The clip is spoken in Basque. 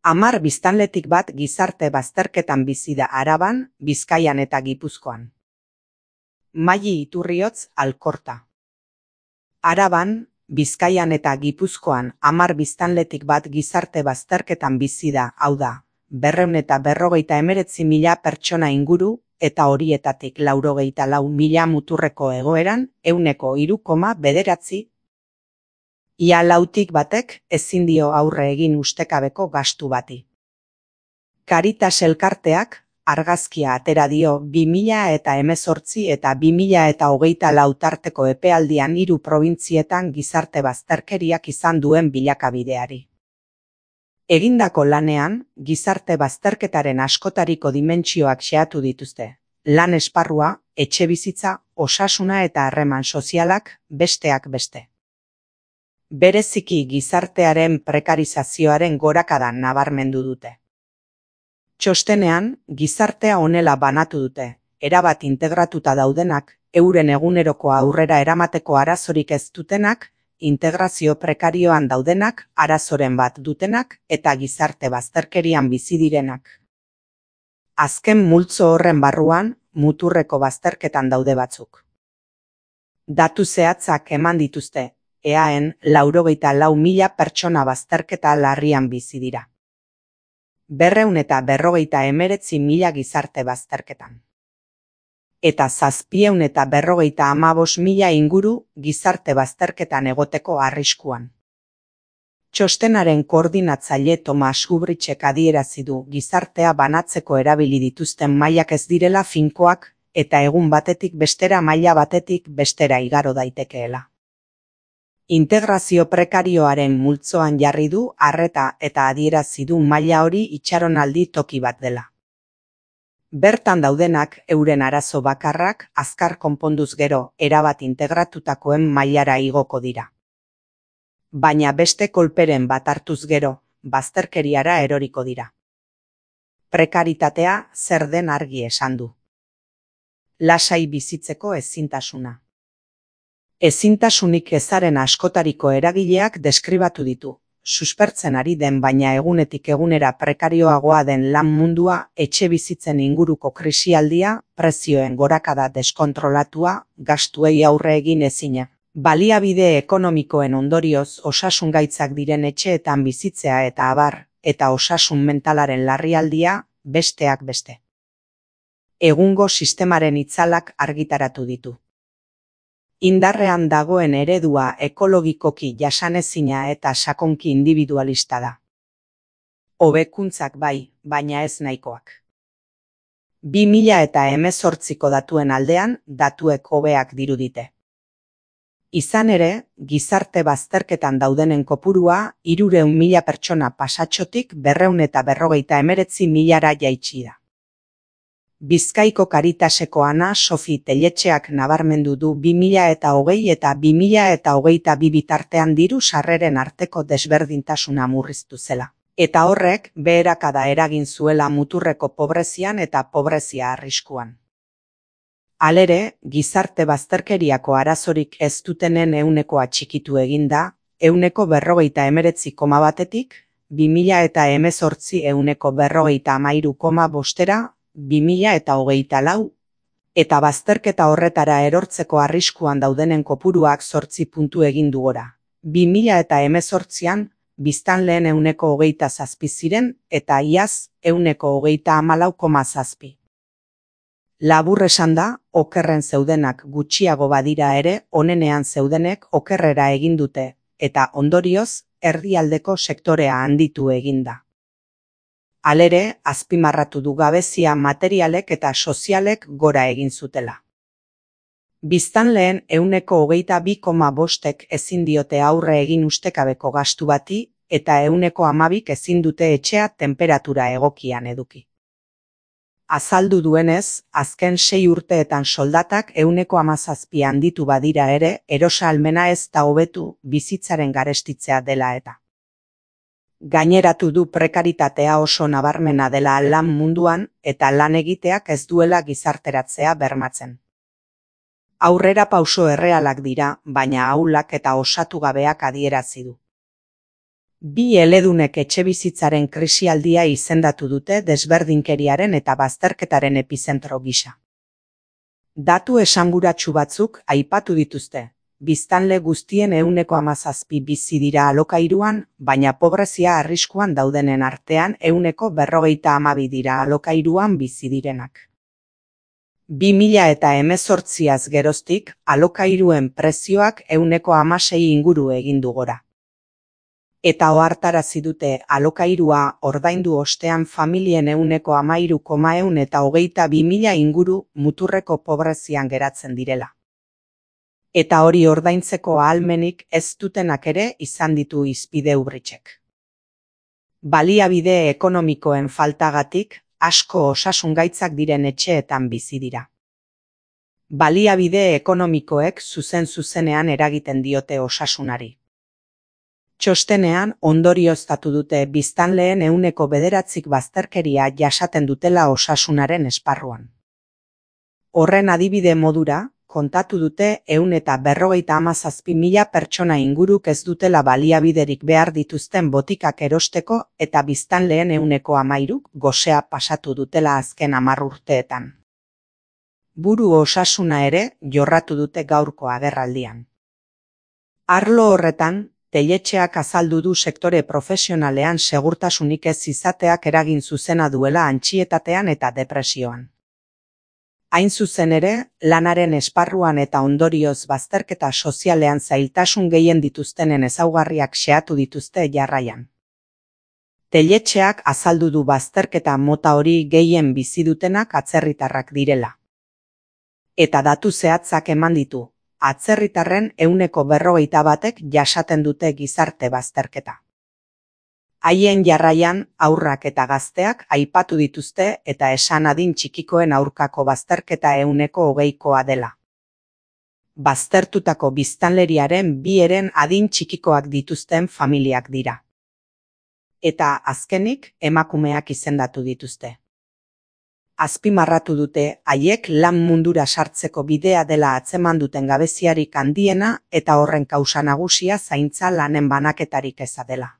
10 biztanletik bat gizarte bazterketan bizi da Araban, Bizkaian eta Gipuzkoan. Maili Iturriotz, Alkorta. Araban, Bizkaian eta Gipuzkoan 10 biztanletik bat gizarte bazterketan bizi da, hau da, 259.000 pertsona inguru, eta horietatik 94.000 muturreko egoeran, 3,9%. Ia lautik batek ezin dio aurre egin ustekabeko gastu bati. Caritas elkarteak argazkia atera dio 2018 eta 2024 tarteko epealdian 3 probintzietan gizarte bazterkeriak izan duen bilakabideari. Egindako lanean, gizarte bazterketaren askotariko dimentsioak xehatu dituzte. Lan esparrua, etxebizitza, osasuna eta harreman sozialak, besteak beste. Bereziki gizartearen prekarizazioaren gorakadan nabarmendu dute. Txostenean, gizartea honela banatu dute, erabat integratuta daudenak, euren egunerokoa aurrera eramateko arazorik ez dutenak, integrazio prekarioan daudenak, arazoren bat dutenak eta gizarte bazterkerian bizi direnak. Azken multzo horren barruan, muturreko bazterketan daude batzuk. Datu zehatzak eman dituzte, EAEn 94.000 pertsona bazterketa larrian bizi dira. 259.000 gizarte bazterketan. Eta 755.000 inguru gizarte bazterketan egoteko arriskuan. Txostenaren koordinatzaile Tomas Ubritzek adierazi du gizartea banatzeko erabili dituzten mailak ez direla finkoak eta egun batetik bestera maila batetik bestera igaro daitekeela. Integrazio prekarioaren multzoan jarri du arreta eta adierazi du maila hori itxaronaldi toki bat dela. Bertan daudenak euren arazo bakarrak azkar konponduz gero erabat integratutakoen mailara igoko dira. Baina beste kolperen bat hartuz gero, bazterkeriara eroriko dira. Prekaritatea zer den argi esan du. Lasai bizitzeko ezintasuna. Ezintasunik ezaren askotariko eragileak deskribatu ditu, suspertzen ari den baina egunetik egunera prekarioagoa den lan mundua, etxe bizitzen inguruko krisialdia, prezioen gorakada deskontrolatua, gastuei aurre egin ezina. Baliabide ekonomikoen ondorioz osasungaitzak diren etxeetan bizitzea eta abar, eta osasun mentalaren larrialdia, besteak beste. Egungo sistemaren itzalak argitaratu ditu. Indarrean dagoen eredua ekologikoki jasanezina eta sakonki individualista da. Hobekuntzak bai, baina ez nahikoak. 2018ko datuen aldean, datuek hobeak dirudite. Izan ere, gizarte bazterketan daudenen kopurua 300.000 pertsona pasatxotik 259.000 jaitsi da. Bizkaiko Caritaseko Ana Sofi Telletxeak nabarmendu du 2020 eta 2022 bitartean diru sarreren arteko desberdintasuna murriztu zela. Eta horrek beherakada eragin zuela muturreko pobrezian eta pobrezia arriskuan. Halere, gizarte bazterkeriako arazorik ez dutenen ehunekoa txikitu eginda, 49,1-tik, 2018 50,53,5-era, 2024, eta bazterketa horretara erortzeko arriskuan daudenen kopuruak 8 puntu egin du gora. 2018an, biztanleen 27 ziren eta iaz 24,7. Labur esan da, okerren zeudenak gutxiago badira ere, onenean zeudenek okerrera egin dute, eta ondorioz, erdialdeko sektorea handitu eginda. Halere, azpimarratu du gabezia materialek eta sozialek gora egin zutela. Biztanleen 22,5ek ezin diote aurre egin ustekabeko gastu bati eta 12 ezin dute etxea tenperatura egokian eduki. Azaldu duenez, azken 6 urteetan soldatak 17 handitu badira ere, erosahalmena ez da hobetu bizitzaren garestitzea dela eta. Gaineratu du prekaritatea oso nabarmena dela lan munduan eta lan egiteak ez duela gizarteratzea bermatzen. Aurrera pauso errealak dira, baina ahulak eta osatu gabeak adierazi du. Bi eledunek etxebizitzaren krisialdia izendatu dute desberdinkeriaren eta bazterketaren epizentro gisa. Datu esanguratsu batzuk aipatu dituzte. Biztanle guztien 17% bizi dira alokairuan, baina pobrezia arriskuan daudenen artean 52% dira alokairuan bizi direnak. 2018az geroztik, alokairuen prezioak 16% inguru egin du gora. Eta ohartarazi dute alokairua ordaindu ostean familien 13,122.000 inguru muturreko pobrezian geratzen direla. Eta hori ordaintzeko ahalmenik ez dutenak ere izan ditu hizpide Ubritzek. Baliabide ekonomikoen faltagatik, asko osasungaitzak diren etxeetan bizi dira. Baliabide ekonomikoek zuzenean eragiten diote osasunari. Txostenean ondorioztatu dute biztanleen 9% bazterkeria jasaten dutela osasunaren esparruan. Horren adibide modura, kontatu dute 157.000 pertsona inguruk ez dutela baliabiderik behar dituzten botikak erosteko eta biztanleen 13% gosea pasatu dutela azken 10 urteetan. Buru osasuna ere jorratu dute gaurko agerraldian. Arlo horretan, Telletxeak azaldu du sektore profesionalean segurtasunik ez izateak eragin zuzena duela antsietatean eta depresioan. Hain zuzen ere, lanaren esparruan eta ondorioz bazterketa sozialean zailtasun gehien dituztenen ezaugarriak xehatu dituzte jarraian. Telletxeak azaldu du bazterketa mota hori gehien bizi dutenak atzerritarrak direla. Eta datu zehatzak eman ditu. Atzerritarren 41%ek jasaten dute gizarte bazterketa. Haien jarraian haurrak eta gazteak aipatu dituzte eta esan adin txikikoen aurkako bazterketa 20%koa dela. Baztertutako biztanleriaren 2 adin txikikoak dituzten familiak dira. Eta azkenik emakumeak izendatu dituzte. Azpimarratu dute haiek lan mundura sartzeko bidea dela atzeman duten gabeziarik handiena eta horren kausa nagusia zaintza lanen banaketarik eza dela.